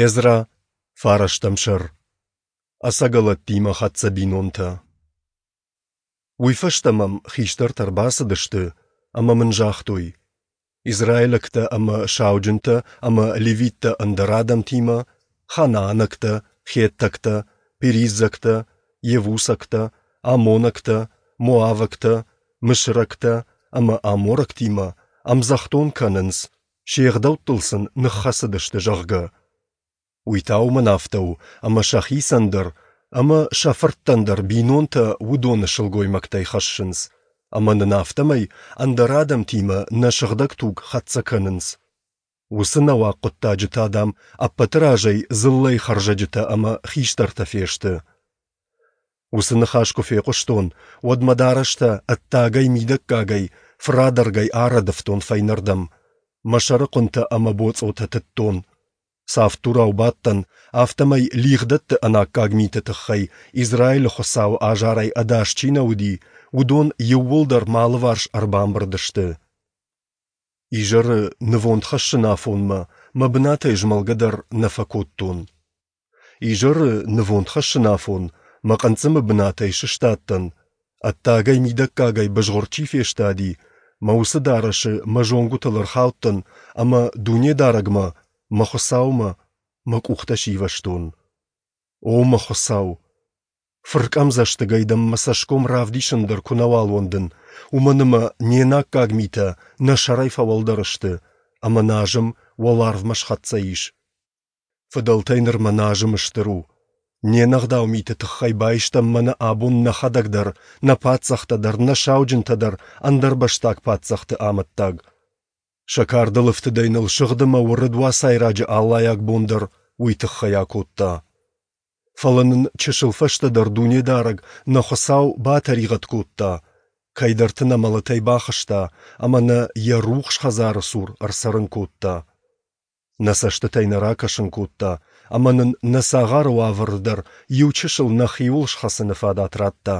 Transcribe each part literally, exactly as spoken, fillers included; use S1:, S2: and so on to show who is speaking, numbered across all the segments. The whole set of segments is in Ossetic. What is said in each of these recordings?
S1: Эзра, фарӕстӕм сӕр. Ӕцӕгӕлӕттимӕ хӕццӕ бинонтӕ. Уый фӕстӕ мӕм хистӕртӕ ӕрбацыдысты ӕмӕ мын загътой: Израилӕгтӕ ӕмӕ сауджынтӕ ӕмӕ левиттӕ ӕндӕр адӕмтимӕ, ханаанӕгтӕ, хеттӕгтӕ, периззӕгтӕ, йевусӕгтӕ, аммонӕгтӕ, моавӕгтӕ, мысырӕгтӕ ӕмӕ аморӕгтимӕ ӕмдзӕхдон кӕнынц, се гъдӕуттыл сын ныххӕцыдысты, зӕгъгӕ. Уый та уымӕн афтӕ у, ӕмӕ сӕхицӕн дӕр ӕмӕ сӕ фырттӕн дӕр бинонтӕ уыдоны сылгоймӕгтӕй хӕссынц, ӕмӕ нын афтӕмӕй ӕндӕр адӕмтимӕ нӕ сыгъдӕг туг хӕццӕ кӕнынц. Уыцы нӕуӕг хъуыддаджы та, дам, ӕппӕты разӕй дзыллӕйы хӕрзӕджытӕ ӕмӕ хистӕртӕ фесты. Уыцы ныхас куы фехъуыстон, уӕд мӕ дарӕстӕ ӕддагӕй-мидӕггагӕй фырадӕргӕй арӕдывтон фӕйнӕрдӕм, мӕ сӕрыхъуынтӕ ӕмӕ боцъотӕ тыдтон. Цавддурау бадтӕн, афтӕмӕй лигъдӕтты ӕнаккаг миты тыххӕй Израилы Хуыцауы азарӕй ӕдас чи нӕ уыди, уыдон иууылдӕр мӕ алыварс ӕрбамбырд сты. Изӕры нывонд хӕссын афонмӕ мӕ бынатӕй змӕлгӕ дӕр нӕ фӕкодтон. Изӕры нывонд хӕссын афон мӕ хъынцъымы бынатӕй сыстадтӕн, ӕддагӕй-мидӕггагӕй бызгъуыр чи фестади, мӕ уыцы дарӕсы мӕ зонгуытыл ӕрхаудтӕн ӕмӕ Дунедарӕгмӕ, мӕ Хуыцаумӕ, мӕ къухтӕ сивӕзтон. О мӕ Хуыцау! Фыркъӕмдзӕстыгӕй дӕм мӕ цӕсгом равдисын дӕр куы нӕуал уӕндын, уымӕн ӕмӕ не наккаг митӕ нӕ сӕрӕй фӕуӕлдӕр сты, ӕмӕ нӕ азым уӕларвмӕ схӕццӕ ис. Фыдӕлтӕй нырмӕ нӕ азым стыр у. Не нӕгъдау миты тыххӕй байстам мӕнӕ абон нӕхӕдӕг дӕр, нӕ паддзӕхтӕ дӕр, нӕ сауджынтӕ дӕр ӕндӕрбӕстаг паддзӕхты амӕттаг. Сӕ кардыл ӕфтыдӕй ныл сыгъд ӕмӕ уырыд уацайраджы аллайаг бон дӕр уый тыххӕй акодта. Фӕлӕ нын чысыл фӕстӕдӕр Дунедарӕг, нӕ Хуыцау, батӕригъӕд кодта, кӕйдӕрты нӕ мӕлӕтӕй бахызта ӕмӕ нӕ Йӕ рухс хӕдзары цур ӕрцӕрын кодта. Нӕ цӕстытӕй нӕ ракӕсын кодта ӕмӕ нын нӕ цагъары уавӕры дӕр иу чысыл нӕхиуыл схӕцыны фадат радта.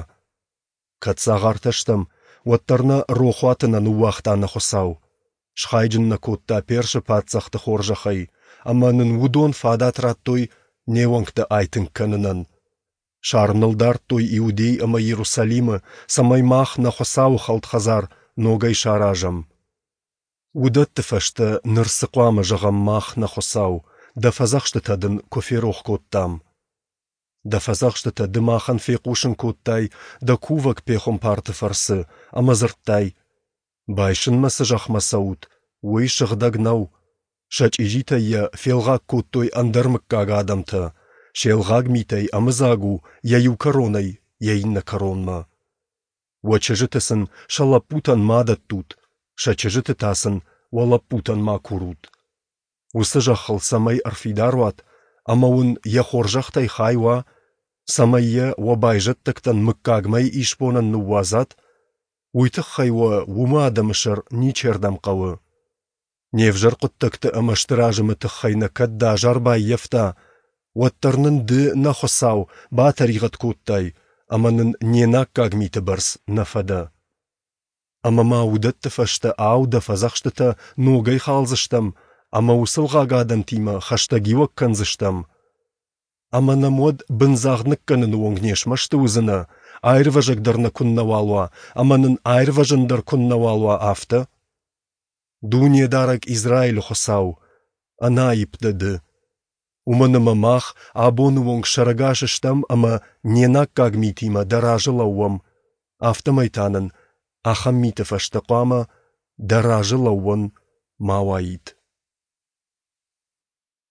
S1: Кӕд цагъартӕ стӕм, уӕддӕр нӕ рохуаты нӕ ныууагъта нӕ Хуыцау. Схайджын нӕ кодта Персы паддзӕхты хорзӕхӕй, ӕмӕ нын уыдон фадат радтой не уӕнгтӕ айтынг кӕнынӕн. Сар ныл дардтой Иудей ӕмӕ Иерусалимы, цӕмӕй мах нӕ Хуыцауы хӕлд хӕдзар ногӕй саразӕм. Уыдӕтты фӕстӕ ныр цы хъуамӕ зӕгъӕм мах, нӕ Хуыцау, дӕ фӕдзӕхстытӕ дын куы ферох кодтам? Дӕ фӕдзӕхстытӕ ды махӕн фехъусын кодтай дӕ кувӕг пехуымпарты фӕрцы ӕмӕ дзырдтай: Байсынмӕ цы зӕхмӕ цӕут, уый сыгъдӕг нӕу. Сӕ чъизитӕй йӕ фелгъаг кодтой ӕндӕр мыггаг адӕмтӕ, се лгъаг митӕй ӕмыдзаг у йӕ иу кӕронӕй йӕ иннӕ кӕронмӕ. Уӕ чызджыты сын сӕ лӕппутӕн ма дӕттут, сӕ чызджыты та сын уӕ лӕппутӕн ма курут. Уыцы зӕххыл цӕмӕй ӕрфидар уат ӕмӕ уын йӕ хорзӕхтӕй хай уа, цӕмӕй йӕ уӕ байзӕддӕгтӕн мыггагмӕйы исбонӕн ныууадзат, уый тыххӕй уӕ уымы адӕмы сӕр ничердӕм хъӕуы. Не взӕр хъуыддӕгты ӕмӕ стыр азымы тыххӕй нӕ кӕд дӕ азар баййӕфта, уӕддӕр нын ды, нӕ Хуыцау, батӕригъӕд кодтай ӕмӕ нын не наккаг миты бӕрц нӕ фӕдӕ. Ӕмӕ ма уыдӕтты фӕстӕ, ау, дӕ фӕдзӕхстытӕ ногӕй халдзыстӕм ӕмӕ уыцы лгъаг адӕмтимӕ хӕстӕгиуӕг кӕндзыстӕм? Ӕмӕ нӕм уӕд бындзагъд ныккӕныны онг не смӕсты уыдзынӕ, аирвӕзӕг дӕр нӕ куыннӕуал уа ӕмӕ нын аирвӕзын дӕр куыннӕуал уа, афтӕ? Дунедарӕг Израилы Хуыцау, ӕнаипп дӕ Ды! Уымӕн ӕмӕ мах абоны онг сӕрӕгас стӕм ӕмӕ не наккаг митимӕ дӕ разы лӕууӕм, афтӕмӕй та нын ахӕм миты фӕстӕ хъуамӕ дӕ разы лӕууӕн ма уаид.